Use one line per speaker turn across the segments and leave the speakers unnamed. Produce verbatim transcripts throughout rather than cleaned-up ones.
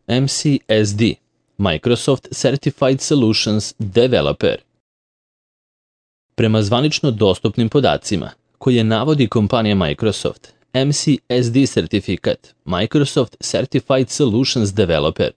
M C S D, Microsoft Certified Solutions Developer. Prema zvanično dostupnim podacima, koje navodi kompanija Microsoft, M C S D sertifikat, Microsoft Certified Solutions Developer,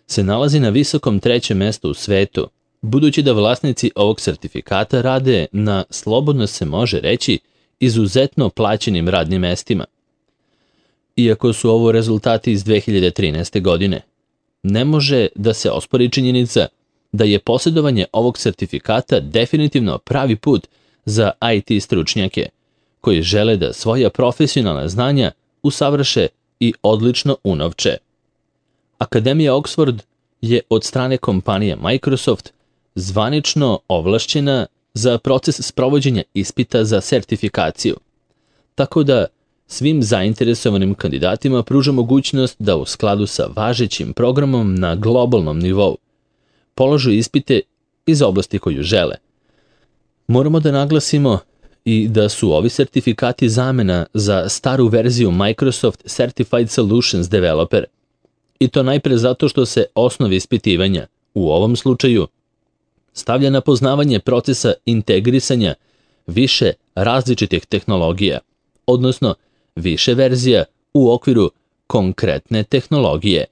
se nalazi na visokom trećem mestu u svetu, budući da vlasnici ovog sertifikata rade na, slobodno se može reći, izuzetno plaćenim radnim mestima. Iako su ovo rezultati iz dve hiljade trinaeste. godine, ne može da se ospori činjenica da je posjedovanje ovog sertifikata definitivno pravi put za I T stručnjake, koji žele da svoja profesionalna znanja usavrše i odlično unovče. Akademija Oxford je od strane kompanije Microsoft zvanično ovlašćena za proces sprovođenja ispita za sertifikaciju, tako da svim zainteresovanim kandidatima pruža mogućnost da u skladu sa važećim programom na globalnom nivou polažu ispite iz oblasti koju žele. Moramo da naglasimo i da su ovi sertifikati zamena za staru verziju Microsoft Certified Solutions Developer, i to najpre zato što se osnov ispitivanja, u ovom slučaju, stavlja na poznavanje procesa integrisanja više različitih tehnologija, odnosno više verzija u okviru konkretne tehnologije.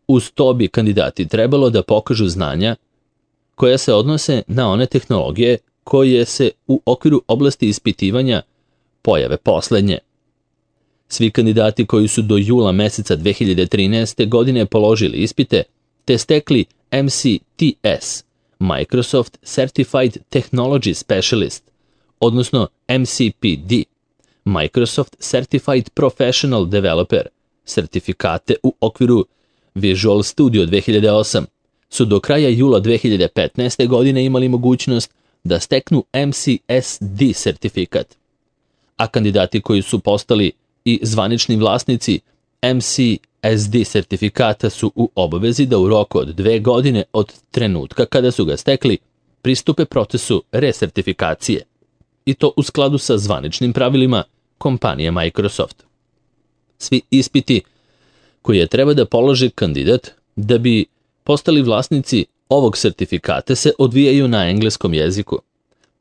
Uz to bi kandidati trebalo da pokažu znanja koja se odnose na one tehnologije koje se u okviru oblasti ispitivanja pojave poslednje. Svi kandidati koji su do jula meseca dve hiljade trinaeste. godine položili ispite te stekli M C T S, Microsoft Certified Technology Specialist, odnosno M C P D, Microsoft Certified Professional Developer, sertifikate u okviru Visual Studio dve hiljade osam, su do kraja jula dve hiljade petnaeste. godine imali mogućnost da steknu M C S D sertifikat, a kandidati koji su postali i zvanični vlasnici M C S D sertifikata su u obavezi da u roku od dve godine od trenutka kada su ga stekli pristupe procesu resertifikacije, i to u skladu sa zvaničnim pravilima kompanije Microsoft. Svi ispiti koje treba da položi kandidat da bi postali vlasnici ovog sertifikata se odvijaju na engleskom jeziku,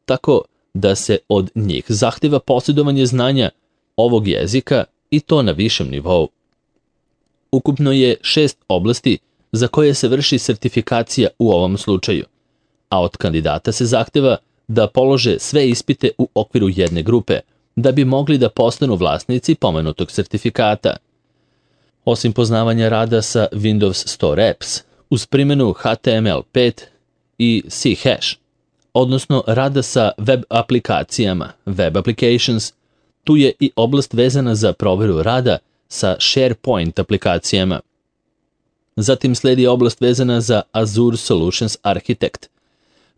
tako da se od njih zahteva posjedovanje znanja ovog jezika i to na višem nivou. Ukupno je šest oblasti za koje se vrši sertifikacija u ovom slučaju, a od kandidata se zahteva da polože sve ispite u okviru jedne grupe, da bi mogli da postanu vlasnici pomenutog sertifikata. Osim poznavanja rada sa Windows Store Apps, uz primjenu H T M L pet i C hash, odnosno rada sa web aplikacijama, web applications, tu je i oblast vezana za proveru rada sa SharePoint aplikacijama. Zatim sledi oblast vezana za Azure Solutions Architect,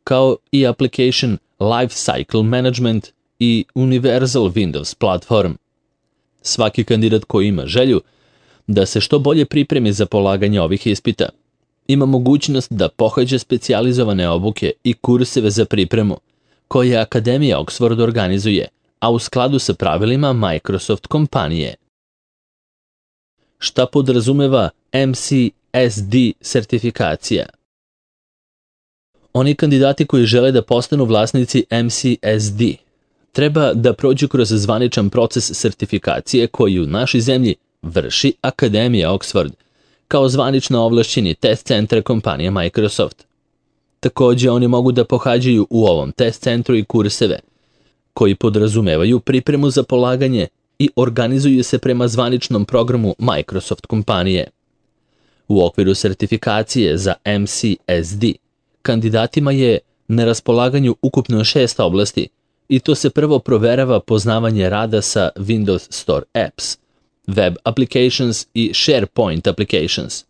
kao i Application Lifecycle Management i Universal Windows Platform. Svaki kandidat koji ima želju da se što bolje pripremi za polaganje ovih ispita ima mogućnost da pohađa specijalizovane obuke i kurseve za pripremu, koje Akademija Oxford organizuje, a u skladu sa pravilima Microsoft kompanije. Šta podrazumeva M C S D sertifikacija? Oni kandidati koji žele da postanu vlasnici M C S D treba da prođu kroz zvaničan proces sertifikacije koji u našoj zemlji vrši Akademija Oxford, kao zvanično ovlašćeni test centar kompanije Microsoft. Takođe, oni mogu da pohađaju u ovom test centru i kurseve, koji podrazumevaju pripremu za polaganje i organizuju se prema zvaničnom programu Microsoft kompanije. U okviru sertifikacije za M C S D, kandidatima je na raspolaganju ukupno šest oblasti, i to se prvo proverava poznavanje rada sa Windows Store Apps, Web Applications i SharePoint Applications.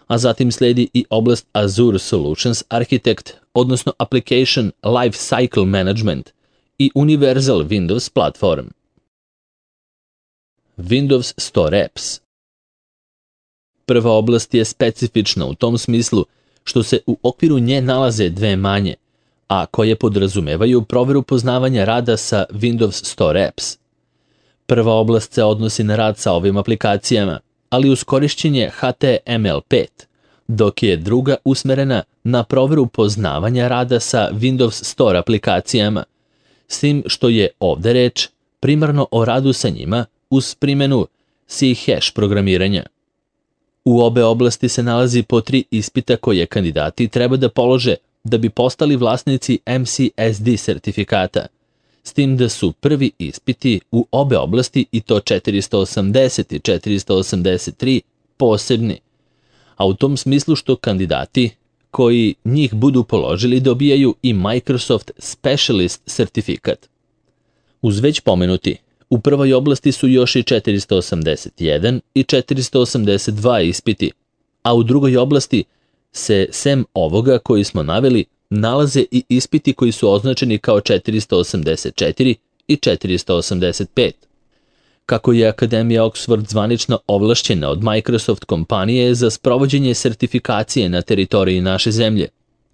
A zatim sledi i oblast Azure Solutions Architect, odnosno Application Lifecycle Management i Universal Windows Platform. Windows Store Apps. Prva oblast je specifična u tom smislu što se u okviru nje nalaze dve manje, a koje podrazumevaju proveru poznavanja rada sa Windows Store Apps. Prva oblast se odnosi na rad sa ovim aplikacijama, ali uz korišćenje H T M L pet, dok je druga usmerena na proveru poznavanja rada sa Windows Store aplikacijama, s tim što je ovde reč primarno o radu sa njima uz primjenu C-hash programiranja. U obe oblasti se nalazi po tri ispita koje kandidati treba da polože da bi postali vlasnici M C S D sertifikata, s tim da su prvi ispiti u obe oblasti, i to četiristo osamdeset i četiristo osamdeset tri, posebni, a u tom smislu što kandidati koji njih budu položili dobijaju i Microsoft Specialist sertifikat. Uz već pomenuti, u prvoj oblasti su još i četiristo osamdeset jedan i četiristo osamdeset dva ispiti, a u drugoj oblasti se, sem ovoga koji smo naveli, nalaze i ispiti koji su označeni kao četiristo osamdeset četiri i četiristo osamdeset pet. Kako je Akademija Oxford zvanično ovlašćena od Microsoft kompanije za sprovođenje sertifikacije na teritoriji naše zemlje,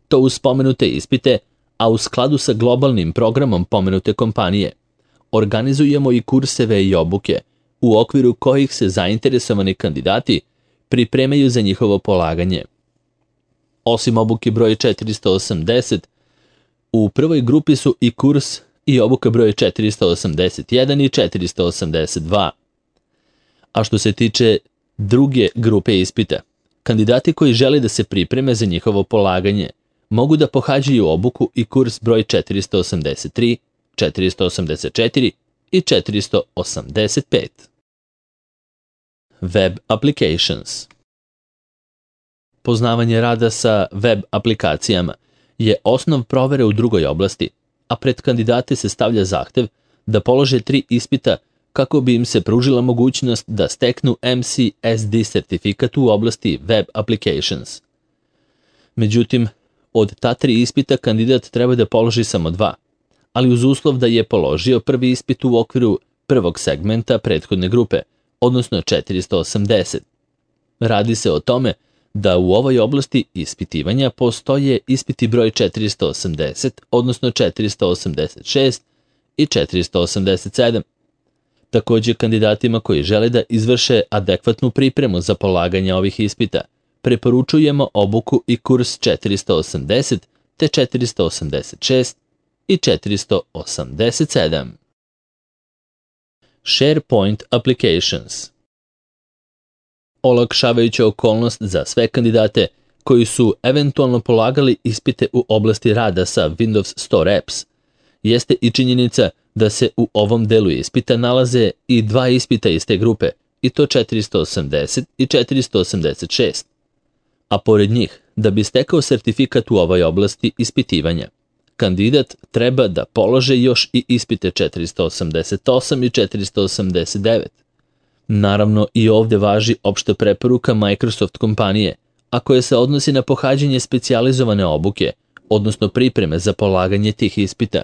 to uz spomenute ispite, a u skladu sa globalnim programom pomenute kompanije, organizujemo i kurseve i obuke, u okviru kojih se zainteresovani kandidati pripremaju za njihovo polaganje. Osim obuke broj četiristo osamdeset, u prvoj grupi su i kurs i obuka broj četiristo osamdeset jedan i četiristo osamdeset dva. A što se tiče druge grupe ispita, kandidati koji žele da se pripreme za njihovo polaganje mogu da pohađaju obuku i kurs broj četiristo osamdeset tri, četiristo osamdeset četiri i četiristo osamdeset pet. Web applications. Poznavanje rada sa web aplikacijama je osnov provere u drugoj oblasti, a pred kandidate se stavlja zahtev da polože tri ispita kako bi im se pružila mogućnost da steknu M C S D sertifikat u oblasti Web Applications. Međutim, od ta tri ispita kandidat treba da položi samo dva, ali uz uslov da je položio prvi ispit u okviru prvog segmenta prethodne grupe, odnosno četiristo osamdeset. Radi se o tome da u ovoj oblasti ispitivanja postoje ispiti broj četiristo osamdeset, odnosno četiristo osamdeset šest i četiristo osamdeset sedam. Također, kandidatima koji žele da izvrše adekvatnu pripremu za polaganje ovih ispita, preporučujemo obuku i kurs četiristo osamdeset te četiristo osamdeset šest i četiristo osamdeset sedam. SharePoint Applications. Olakšavajuća okolnost za sve kandidate koji su eventualno polagali ispite u oblasti rada sa Windows Store Apps jeste i činjenica da se u ovom delu ispita nalaze i dva ispita iz te grupe, i to četiristo osamdeset i četiristo osamdeset šest. A pored njih, da bi stekao sertifikat u ovoj oblasti ispitivanja, kandidat treba da polože još i ispite četiristo osamdeset osam i četiristo osamdeset devet. Naravno, i ovde važi opšta preporuka Microsoft kompanije, a koja se odnosi na pohađanje specijalizovane obuke, odnosno pripreme za polaganje tih ispita.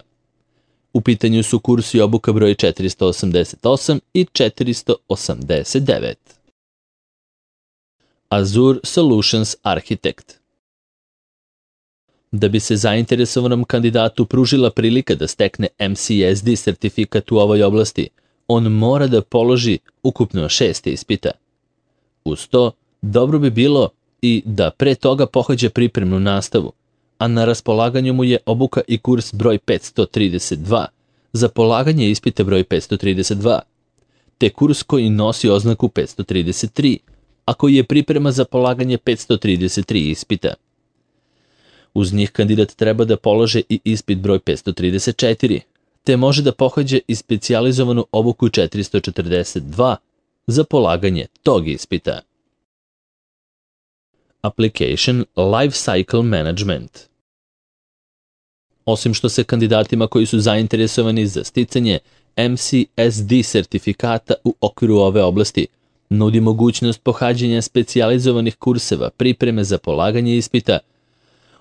U pitanju su kurs i obuka broj četiristo osamdeset osam i četiristo osamdeset devet. Azure Solutions Architect. Da bi se zainteresovanom kandidatu pružila prilika da stekne M C S D sertifikat u ovoj oblasti, on mora da položi ukupno šest ispita. Uz to, dobro bi bilo i da pre toga pohađa pripremnu nastavu, a na raspolaganju mu je obuka i kurs broj petsto trideset dva za polaganje ispita broj petsto trideset dva, te kurs koji nosi oznaku petsto trideset tri, a koji je priprema za polaganje petsto trideset tri ispita. Uz njih kandidat treba da polože i ispit broj petsto trideset četiri, te može da pohađe i specijalizovanu obuku četiristo četrdeset dva za polaganje tog ispita. Application Lifecycle Management. Osim što se kandidatima koji su zainteresovani za sticanje M C S D sertifikata u okviru ove oblasti nudi mogućnost pohađanja specijalizovanih kurseva pripreme za polaganje ispita,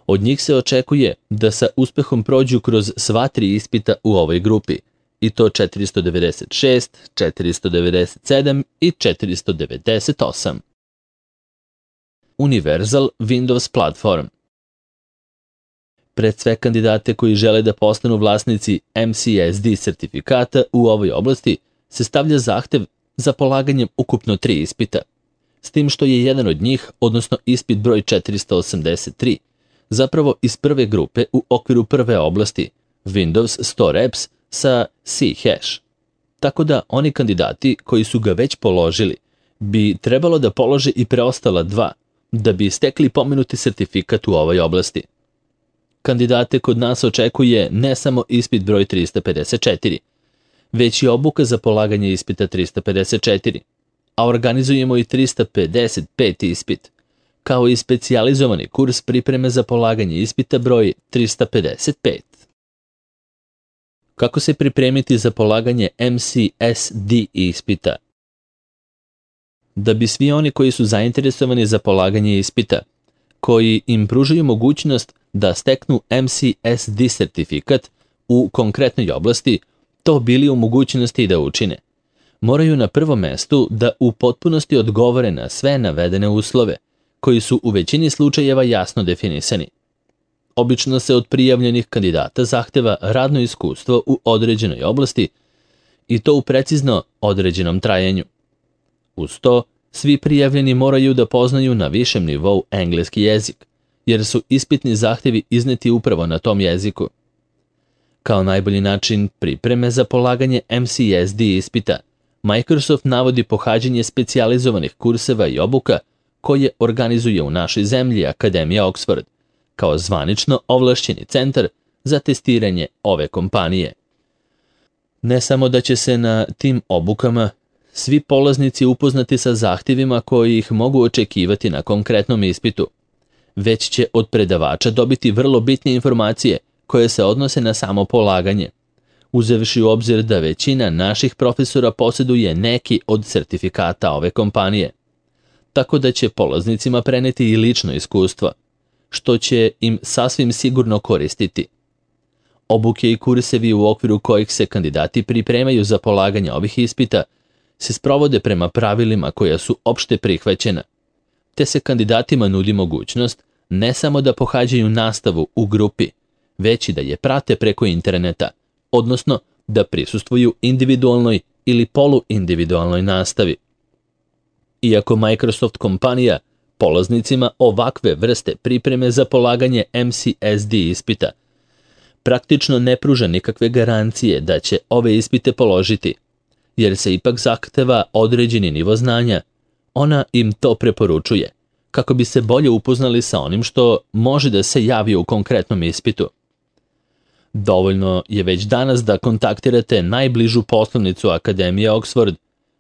od njih se očekuje da sa uspehom prođu kroz sva tri ispita u ovoj grupi, i to četiristo devedeset šest, četiristo devedeset sedam i četiristo devedeset osam. Universal Windows Platform. Pred sve kandidate koji žele da postanu vlasnici M C S D sertifikata u ovoj oblasti se stavlja zahtev za polaganjem ukupno tri ispita, s tim što je jedan od njih, odnosno ispit broj četiristo osamdeset tri, zapravo iz prve grupe u okviru prve oblasti, Windows Store Apps sa C-Hash. Tako da oni kandidati koji su ga već položili bi trebalo da polože i preostala dva, da bi stekli pomenuti sertifikat u ovoj oblasti. Kandidate kod nas očekuje ne samo ispit broj trista pedeset četiri, već i obuka za polaganje ispita trista pedeset četiri, a organizujemo i trista pedeset pet ispit, kao i specijalizovani kurs pripreme za polaganje ispita broj trista pedeset pet. Kako se pripremiti za polaganje M C S D ispita? Da bi svi oni koji su zainteresovani za polaganje ispita, koji im pružaju mogućnost da steknu M C S D sertifikat u konkretnoj oblasti, to bili u mogućnosti da učine, moraju na prvom mestu da u potpunosti odgovore na sve navedene uslove, koji su u većini slučajeva jasno definisani. Obično se od prijavljenih kandidata zahteva radno iskustvo u određenoj oblasti i to u precizno određenom trajanju. Uz to, svi prijavljeni moraju da poznaju na višem nivou engleski jezik, jer su ispitni zahtevi izneti upravo na tom jeziku. Kao najbolji način pripreme za polaganje M C S D ispita, Microsoft navodi pohađanje specijalizovanih kurseva i obuka koje organizuje u našoj zemlji Akademija Oxford, kao zvanično ovlašćeni centar za testiranje ove kompanije. Ne samo da će se na tim obukama svi polaznici upoznati sa zahtjevima koji ih mogu očekivati na konkretnom ispitu, već će od predavača dobiti vrlo bitne informacije koje se odnose na samo polaganje, uzevši u obzir da većina naših profesora posjeduje neki od sertifikata ove kompanije, tako da će polaznicima preneti i lično iskustvo, što će im sasvim sigurno koristiti. Obuke i kursevi u okviru kojih se kandidati pripremaju za polaganje ovih ispita se sprovode prema pravilima koja su opšte prihvaćena, te se kandidatima nudi mogućnost ne samo da pohađaju nastavu u grupi, već i da je prate preko interneta, odnosno da prisustvuju individualnoj ili poluindividualnoj nastavi. Iako Microsoft kompanija polaznicima ovakve vrste pripreme za polaganje M C S D ispita praktično ne pruža nikakve garancije da će ove ispite položiti, jer se ipak zahteva određeni nivo znanja, ona im to preporučuje, kako bi se bolje upoznali sa onim što može da se javi u konkretnom ispitu. Dovoljno je već danas da kontaktirate najbližu poslovnicu Akademije Oxford,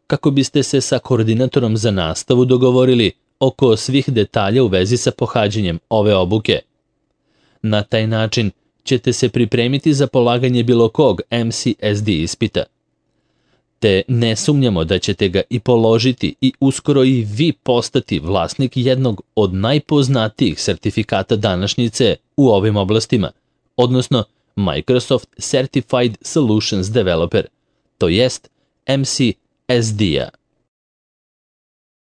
kako biste se sa koordinatorom za nastavu dogovorili oko svih detalja u vezi sa pohađanjem ove obuke. Na taj način ćete se pripremiti za polaganje bilo kog M C S D ispita. Te ne sumnjamo da ćete ga i položiti i uskoro i vi postati vlasnik jednog od najpoznatijih sertifikata današnjice u ovim oblastima, odnosno Microsoft Certified Solutions Developer, to jest M C S D-a.